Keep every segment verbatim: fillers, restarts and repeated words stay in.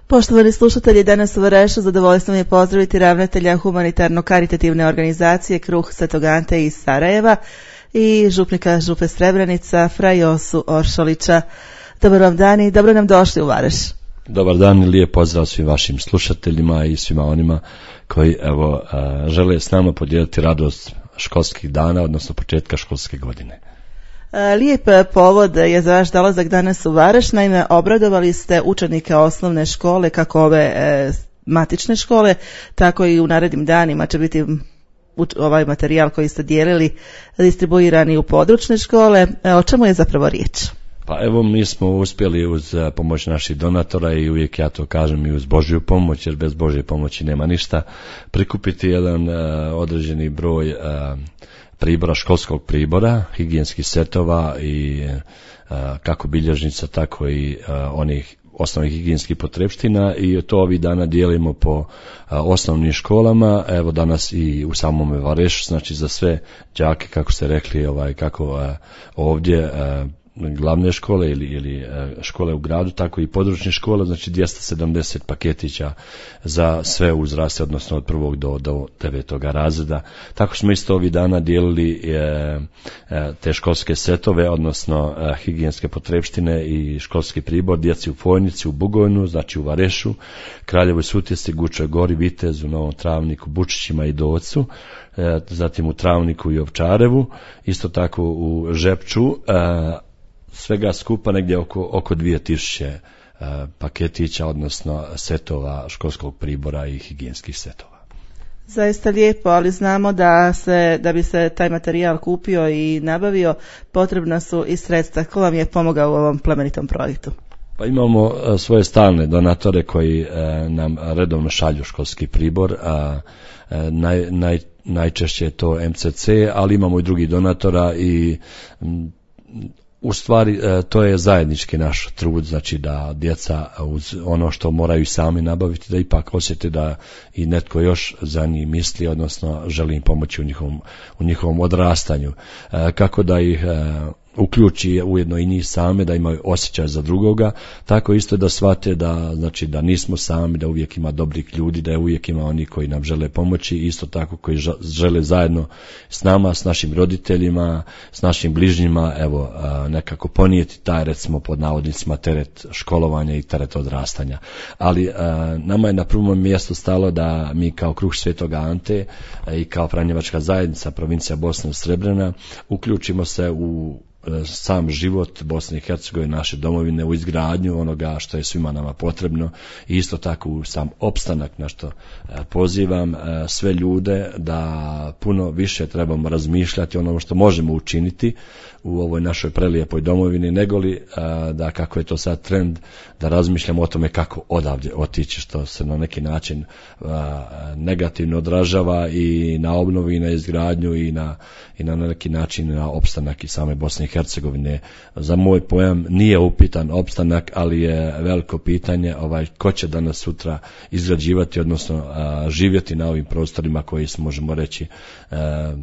Poštovani slušatelji, danas u Varešu zadovoljstvo mi je pozdraviti ravnatelja humanitarno-karitativne organizacije Kruh Svetog Ante iz Sarajeva i župnika Župe Srebrenica fra Josu Oršolića. Dobar vam dan i dobro nam došli u Vareš. Dobar dan i lijep pozdrav svim vašim slušateljima i svima onima koji evo žele s nama podijeliti radost školskih dana, odnosno početka školske godine. Lijep povod je za vaš dolazak danas u Vareš. Naime, obradovali ste učenike osnovne škole, kako ove e, matične škole, tako i u narednim danima će biti ovaj materijal koji ste dijelili distribuirani u područne škole. E, o čemu je zapravo riječ? Pa evo, mi smo uspjeli uz pomoć naših donatora i uvijek ja to kažem i uz Božju pomoć, jer bez Božje pomoći nema ništa, prikupiti jedan uh, određeni broj uh, pribora, školskog pribora, higijenskih setova i uh, kako bilježnica, tako i uh, onih osnovnih higijenskih potrepština i to ovih dana dijelimo po uh, osnovnim školama. Evo danas i u samome Varešu, znači za sve đake, kako ste rekli, ovaj, kako uh, ovdje uh, glavne škole ili, ili škole u gradu, tako i područne škole, znači dvjesto sedamdeset paketića za sve uzraste, odnosno od prvog do, do devetoga razreda. Tako smo isto ovih dana dijelili e, e, te školske setove, odnosno e, higijenske potrepštine i školski pribor djeci u Fojnici, u Bugojnu, znači u Varešu, Kraljevoj Sutjesti, Gučoj Gori, Vitezu, Novom Travniku, Bučićima i Docu, e, zatim u Travniku i Ovčarevu, isto tako u Žepču, e, svega skupa negdje oko, oko dvije tisuće uh, paketića, odnosno setova školskog pribora i higijenskih setova. Zaista lijepo, ali znamo da se, da bi se taj materijal kupio i nabavio, potrebna su i sredstva. Ko vam je pomogao u ovom plemenitom projektu? Pa imamo uh, svoje stalne donatore koji uh, nam redovno šalju školski pribor, a uh, naj, naj, najčešće je to M C C, ali imamo i drugih donatora i um, u stvari to je zajednički naš trud, znači da djeca uz ono što moraju sami nabaviti, da ipak osjete da i netko još za njih misli, odnosno želi im pomoći u njihovom, u njihovom odrastanju. Kako da ih uključi ujedno i njih same, da imaju osjećaj za drugoga, tako isto da shvate da, znači, da nismo sami, da uvijek ima dobrih ljudi, da uvijek ima oni koji nam žele pomoći, isto tako koji žele zajedno s nama, s našim roditeljima, s našim bližnjima, evo, nekako ponijeti taj, recimo pod navodnicima, teret školovanja i teret odrastanja. Ali nama je na prvom mjestu stalo da mi kao Kruh Svetog Ante i kao Franjevačka zajednica provincija Bosna i Srebrena uključimo se u sam život Bosne i Hercegovine, naše domovine, u izgradnju onoga što je svima nama potrebno i isto tako u sam opstanak, na što pozivam sve ljude da puno više trebamo razmišljati o onom što možemo učiniti u ovoj našoj prelijepoj domovini, negoli da, kako je to sad trend, da razmišljamo o tome kako odavdje otići, što se na neki način negativno odražava i na obnovu i na izgradnju i na, i na neki način na opstanak i same Bosne i Hercegovine. Za moj pojam nije upitan opstanak, ali je veliko pitanje ovaj, ko će danas sutra izgrađivati, odnosno a, živjeti na ovim prostorima koji se, možemo reći, a,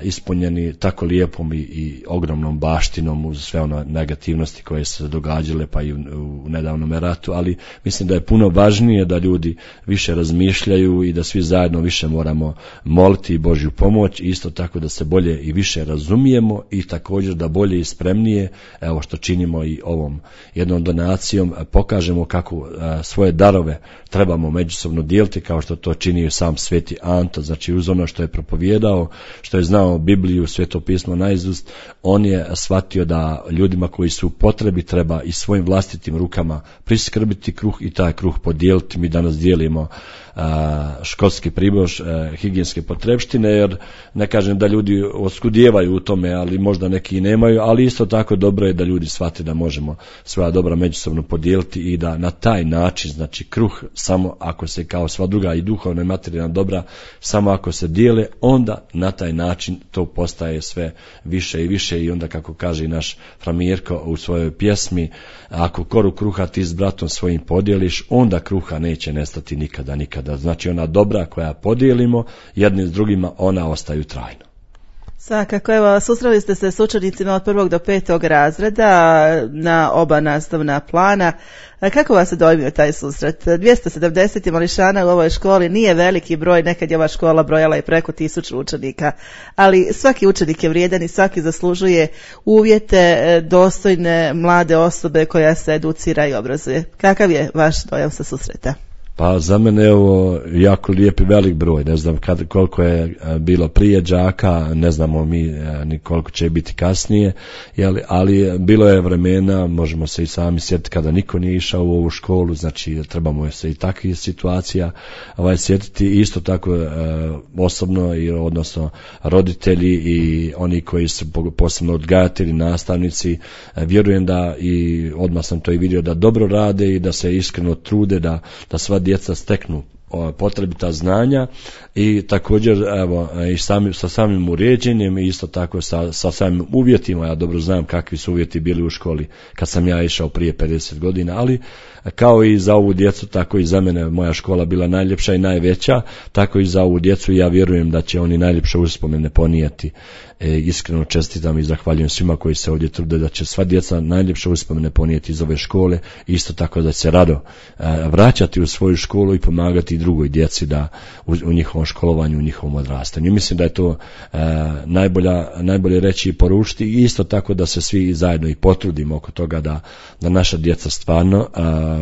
ispunjeni tako lijepom i, i ogromnom baštinom uz sve ono negativnosti koje se događale pa i u, u nedavnom ratu, ali mislim da je puno važnije da ljudi više razmišljaju i da svi zajedno više moramo moliti Božju pomoć i isto tako da se bolje i više razumijemo i također da bolje i spremnije, evo što činimo i ovom jednom donacijom, pokažemo kako a, svoje darove trebamo međusobno dijeliti, kao što to čini sam Sveti Anto, znači uz ono što je propovijedao, što je znao Bibliju, Sveto pismo naizust, on je shvatio da ljudima koji su u potrebi treba i svojim vlastitim rukama priskrbiti kruh i taj kruh podijeliti. Mi danas dijelimo a, školski pribor, a, higijenske potrepštine, jer ne kažem da ljudi oskudijevaju u tome, ali možda neki i nemaju, ali isto tako dobro je da ljudi shvate da možemo svoja dobra međusobno podijeliti i da na taj način, znači kruh samo ako se kao sva druga i duhovna i materijalna dobra, samo ako se dijele, onda na taj način to postaje sve više i više i onda, kako kaže i naš fra Mirko u svojoj pjesmi, ako koru kruha ti s bratom svojim podijeliš, onda kruha neće nestati nikada, nikada. Znači ona dobra koja podijelimo jedni s drugima, ona ostaju trajno. Svakako, evo, susreli ste se s učenicima od prvog do petog razreda na oba nastavna plana. Kako vas je dojmio taj susret? dvjesto sedamdeset mališana u ovoj školi nije veliki broj, nekad je ova škola brojala i preko tisuću učenika, ali svaki učenik je vrijedan i svaki zaslužuje uvjete dostojne mlade osobe koja se educira i obrazuje. Kakav je vaš dojam sa susreta? Pa za mene je ovo jako lijep i velik broj, ne znam kad, koliko je bilo prije đaka, ne znamo mi ni koliko će biti kasnije, jeli, ali bilo je vremena, možemo se i sami sjetiti kada niko nije išao u ovu školu, znači trebamo se i takvih situacija ovaj, sjetiti, isto tako e, osobno, i, odnosno roditelji i oni koji su posebno odgajatelji, nastavnici, e, vjerujem da, i odmah sam to i vidio, da dobro rade i da se iskreno trude da, da sva djeca steknu potrebita znanja i također evo, i sami, sa samim uređenjem i isto tako sa, sa samim uvjetima. Ja dobro znam kakvi su uvjeti bili u školi kad sam ja išao prije pedeset godina, ali kao i za ovu djecu, tako i za mene moja škola bila najljepša i najveća, tako i za ovu djecu, i ja vjerujem da će oni najljepše uspomene ponijeti. E, iskreno čestitam i zahvaljujem svima koji se ovdje trude da će sva djeca najljepše uspomene ponijeti iz ove škole, isto tako da će se rado e, vraćati u svoju školu i pomagati drugoj djeci da u, u njihovom školovanju, u njihovom odrastanju. Mislim da je to e, najbolja, najbolje reći i poručiti, i isto tako da se svi zajedno i potrudimo oko toga da, da naša djeca stvarno a,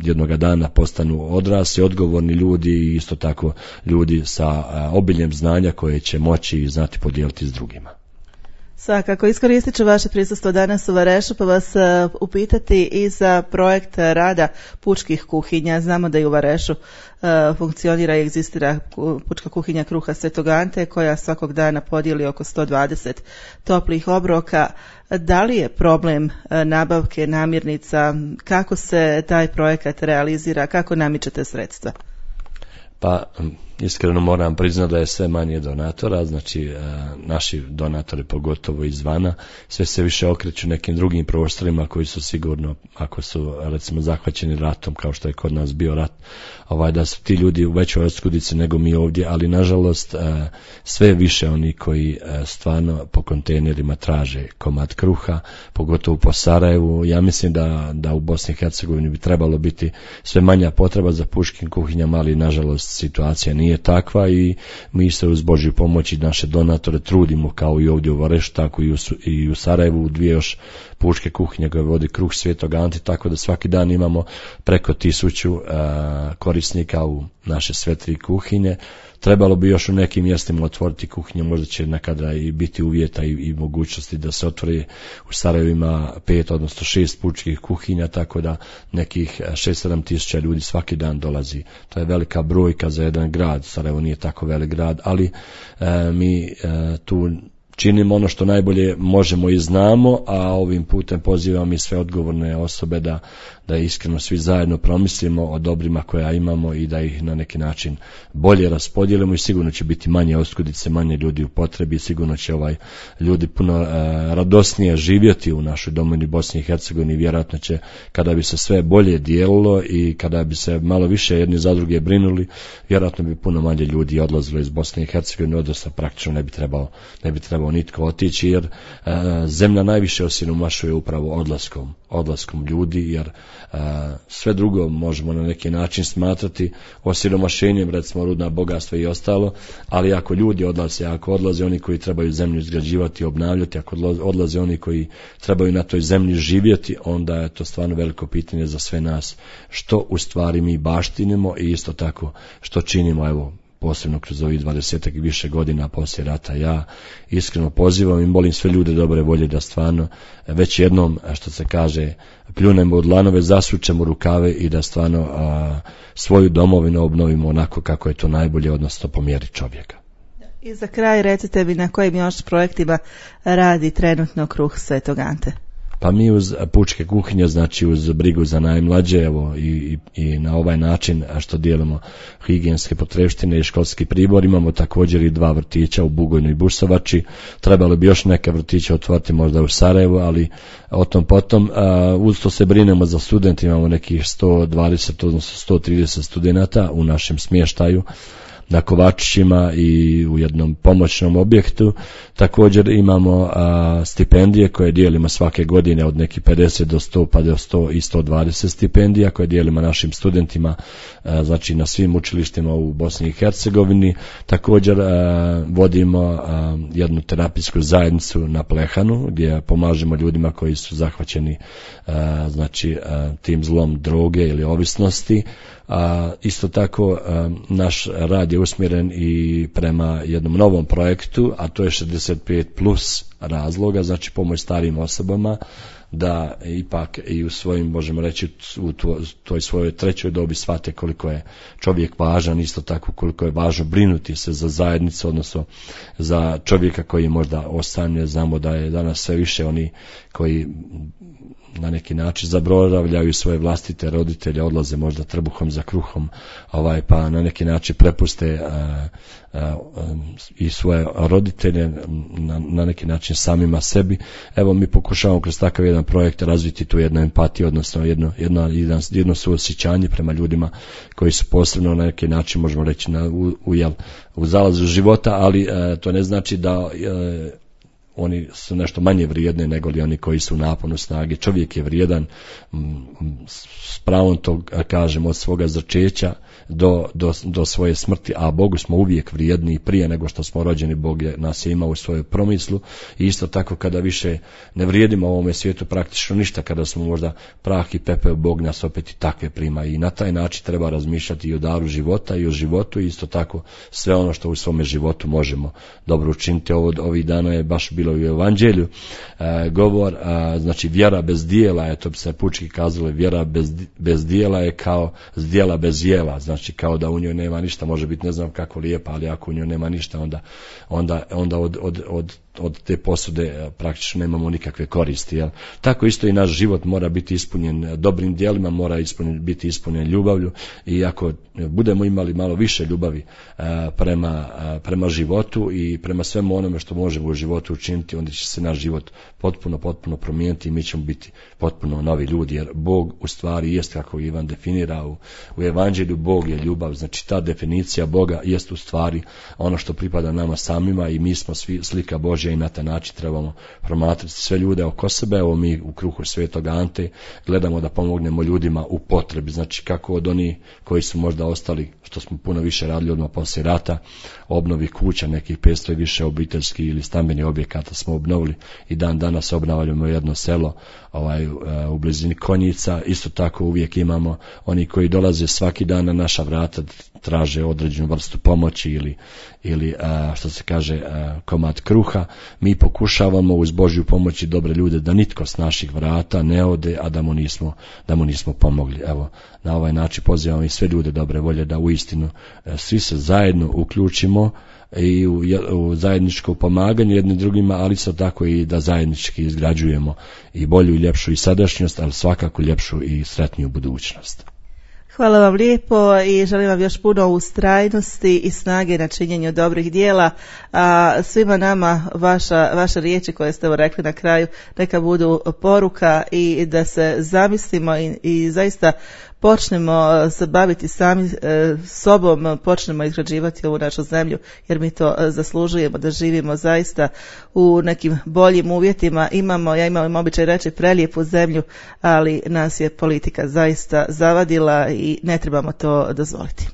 jednoga dana postanu odrasli, odgovorni ljudi i isto tako ljudi sa a, obiljem znanja koje će moći i znati podijeliti s drugima. Svakako, iskoristit ću vaše prisustvo danas u Varešu pa vas uh, upitati i za projekt rada pučkih kuhinja. Znamo da i u Varešu uh, funkcionira i egzistira pučka kuhinja Kruha Svetog Ante koja svakog dana podijeli oko sto dvadeset toplih obroka. Da li je problem uh, nabavke namirnica? Kako se taj projekat realizira? Kako namičete sredstva? Pa iskreno moram priznati da je sve manje donatora, znači e, naši donatori pogotovo izvana sve se više okreću nekim drugim prostorima koji su sigurno, ako su recimo zahvaćeni ratom kao što je kod nas bio rat, ovaj, da su ti ljudi u većoj oskudici nego mi ovdje, ali nažalost e, sve više oni koji e, stvarno po kontejnerima traže komad kruha, pogotovo po Sarajevu. Ja mislim da, da u Bosni i Hercegovini bi trebalo biti sve manja potreba za pučkim kuhinjama, ali nažalost situacija nije takva i mi se uz Božju pomoć i naše donatore trudimo kao i ovdje u Varešu, tako i u, i u Sarajevu, u dvije još pučke kuhinje koje vodi Kruh Svetog Ante, tako da svaki dan imamo preko tisuću uh, korisnika u naše sve tri kuhinje. Trebalo bi još u nekim mjestima otvoriti kuhinje, možda će nekada i biti uvjeta i, i mogućnosti da se otvori. U Sarajevu ima pet, odnosno šest pučkih kuhinja, tako da nekih šest sedam tisuća ljudi svaki dan dolazi. To je velika brojka za jedan grad. Sarajevo nije tako velik grad, ali e, mi e, tu činimo ono što najbolje možemo i znamo, a ovim putem pozivam i sve odgovorne osobe da, da iskreno svi zajedno promislimo o dobrima koja imamo i da ih na neki način bolje raspodijelimo, i sigurno će biti manje oskudice, manje ljudi u potrebi, sigurno će ovaj ljudi puno e, radosnije živjeti u našoj domovini Bosni i Hercegovini. Vjerojatno će, kada bi se sve bolje dijelilo i kada bi se malo više jedni za druge brinuli, vjerojatno bi puno manje ljudi odlazilo iz Bosne i Hercegovine, odnosno praktično ne bi trebao, ne bi trebao nitko otići, jer e, zemlja najviše osiromašuje upravo odlaskom, odlaskom ljudi, jer e, sve drugo možemo na neki način smatrati osiromašenjem, recimo rudna bogatstva i ostalo, ali ako ljudi odlaze, ako odlaze oni koji trebaju zemlju izgrađivati i obnavljati, ako odlaze oni koji trebaju na toj zemlji živjeti, onda je to stvarno veliko pitanje za sve nas, što u stvari mi baštinimo i isto tako što činimo, evo, posebno kroz ovih dvadesetak i više godina poslije rata. Ja iskreno pozivam i molim sve ljude dobre volje da stvarno već jednom, što se kaže, pljunemo u dlanove, zasučemo rukave i da stvarno a, svoju domovinu obnovimo onako kako je to najbolje, odnosno po mjeri čovjeka. I za kraj recite mi na kojim još projektima radi trenutno Kruh Svetog Ante? Pa mi uz pučke kuhinje, znači uz brigu za najmlađe, evo, i, i, i na ovaj način što dijelimo higijenske potrepštine i školski pribor, imamo također i dva vrtića u Bugojnu i Busovači. Trebalo bi još neke vrtiće otvoriti možda u Sarajevu, ali o tom potom. A, uz to se brinemo za studente, imamo nekih sto dvadeset, odnosno sto trideset studenata u našem smještaju. na Kovačićima i u jednom pomoćnom objektu. Također imamo a, stipendije koje dijelimo svake godine od nekih pedeset do sto pa do sto i sto dvadeset stipendija koje dijelimo našim studentima, a, znači na svim učilištima u Bosni i Hercegovini. Također a, vodimo a, jednu terapijsku zajednicu na Plehanu gdje pomažemo ljudima koji su zahvaćeni a, znači a, tim zlom droge ili ovisnosti. A, isto tako a, naš rad je usmjeren i prema jednom novom projektu, a to je šezdeset pet plus razloga, znači pomoć starijim osobama da ipak i u svojim, možemo reći, u toj svojoj trećoj dobi shvate koliko je čovjek važan, isto tako koliko je važno brinuti se za zajednicu, odnosno za čovjeka koji možda ostane. Znamo da je danas sve više oni koji na neki način zaboravljaju svoje vlastite roditelje, odlaze možda trbuhom za kruhom, ovaj, pa na neki način prepuste a, a, a, i svoje roditelje na, na neki način samima sebi. Evo mi pokušavamo kroz takav jedan projekt razviti tu jednu empatiju, odnosno jedno, jedno, jedno, jedno suosjećanje prema ljudima koji su posebno na neki način, možemo reći, na, u, u, jel, u zalazu života, ali a, to ne znači da a, oni su nešto manje vrijedne nego li oni koji su u naponu snage. Čovjek je vrijedan, s pravom to kažem, od svoga začeća do, do, do svoje smrti, a Bogu smo uvijek vrijedni prije nego što smo rođeni. Bog je, nas je imao u svojoj promislu i isto tako kada više ne vrijedimo u ovome svijetu praktično ništa, kada smo možda prah i pepeo, Bog nas opet i takve prima i na taj način treba razmišljati i o daru života i o životu i isto tako sve ono što u svome životu možemo dobro učiniti. Ovo, ovih dana je baš bilo u Evanđelju e, govor, a, znači vjera bez dijela je, to bi se pučki kazalo, vjera bez, bez dijela je kao zdjela bez jela, znači kao da u njoj nema ništa, može biti ne znam kako lijepa, ali ako u njoj nema ništa, onda, onda, onda od, od, od od te posude praktično nemamo nikakve koristi. Jel? Tako isto i naš život mora biti ispunjen dobrim djelima, mora ispunjen, biti ispunjen ljubavlju i ako budemo imali malo više ljubavi a, prema, a, prema životu i prema svemu onome što možemo u životu učiniti, onda će se naš život potpuno, potpuno promijeniti i mi ćemo biti potpuno novi ljudi, jer Bog u stvari jest, kako Ivan definira u, u Evanđelju, Bog je ljubav, znači ta definicija Boga jest u stvari ono što pripada nama samima i mi smo svi slika Božja i na taj način trebamo promatrati sve ljude oko sebe. Evo mi u kruhu Svetog Ante gledamo da pomognemo ljudima u potrebi, znači kako od onih koji su možda ostali, što smo puno više radili odmah poslije rata, obnovi kuća, nekih petsto i više obiteljskih ili stambenih objekata smo obnovili i dan danas obnavljamo jedno selo ovaj, u blizini Konjica. Isto tako uvijek imamo oni koji dolaze svaki dan na naša vrata, traže određenu vrstu pomoći ili, ili a, što se kaže a, komad kruha. Mi pokušavamo uz Božju pomoć i dobre ljude da nitko s naših vrata ne ode, a da mu nismo, da mu nismo pomogli. Evo, na ovaj način pozivamo i sve ljude dobre volje da uistinu a, svi se zajedno uključimo i u, u zajedničko pomaganje jednim drugima, ali isto tako i da zajednički izgrađujemo i bolju i ljepšu i sadašnjost, ali svakako ljepšu i sretniju budućnost. Hvala vam lijepo i želim vam još puno ustrajnosti i snage na činjenju dobrih dijela. A svima nama vaša, vaše riječi koje ste rekli na kraju neka budu poruka i da se zamislimo i, i zaista počnemo se baviti sami e, sobom, počnemo izgrađivati ovu našu zemlju, jer mi to e, zaslužujemo da živimo zaista u nekim boljim uvjetima. Imamo, ja imam običaj reći, prelijepu zemlju, ali nas je politika zaista zavadila i ne trebamo to dozvoliti.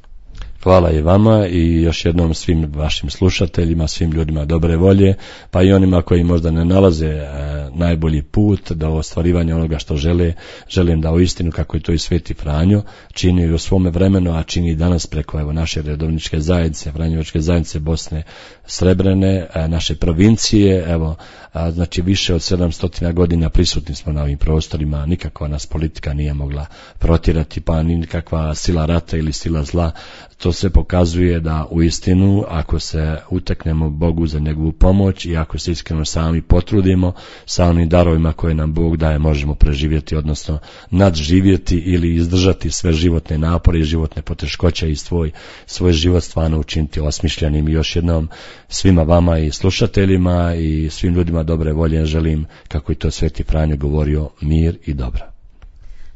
Hvala i vama i još jednom svim vašim slušateljima, svim ljudima dobre volje, pa i onima koji možda ne nalaze e, najbolji put do ostvarivanja onoga što žele. Želim da uistinu, kako je to i Sveti Franjo čini u svome vremenu, a čini i danas preko evo naše redovničke zajednice, Franjevačke zajednice Bosne Srebrene, e, naše provincije, evo a, znači više od sedamsto godina prisutni smo na ovim prostorima, nikakva nas politika nije mogla protjerati, pa ni nikakva sila rata ili sila zla. To sve pokazuje da uistinu ako se uteknemo Bogu za njegovu pomoć i ako se iskreno sami potrudimo sa onim darovima koje nam Bog daje, možemo preživjeti, odnosno nadživjeti ili izdržati sve životne napore i životne poteškoće i svoj, svoj život stvarno učiniti osmišljenim. I još jednom svima vama i slušateljima i svim ljudima dobre volje želim, kako je to Sveti Franjo govorio, mir i dobro.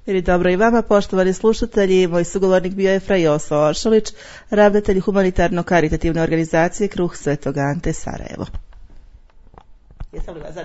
Ili dobro i vama, poštovani slušatelji, moj sugovornik bio je fra Joso Oršolić, ravnatelj humanitarno-karitativne organizacije Kruh Svetog Ante Sarajevo. Jesam li vas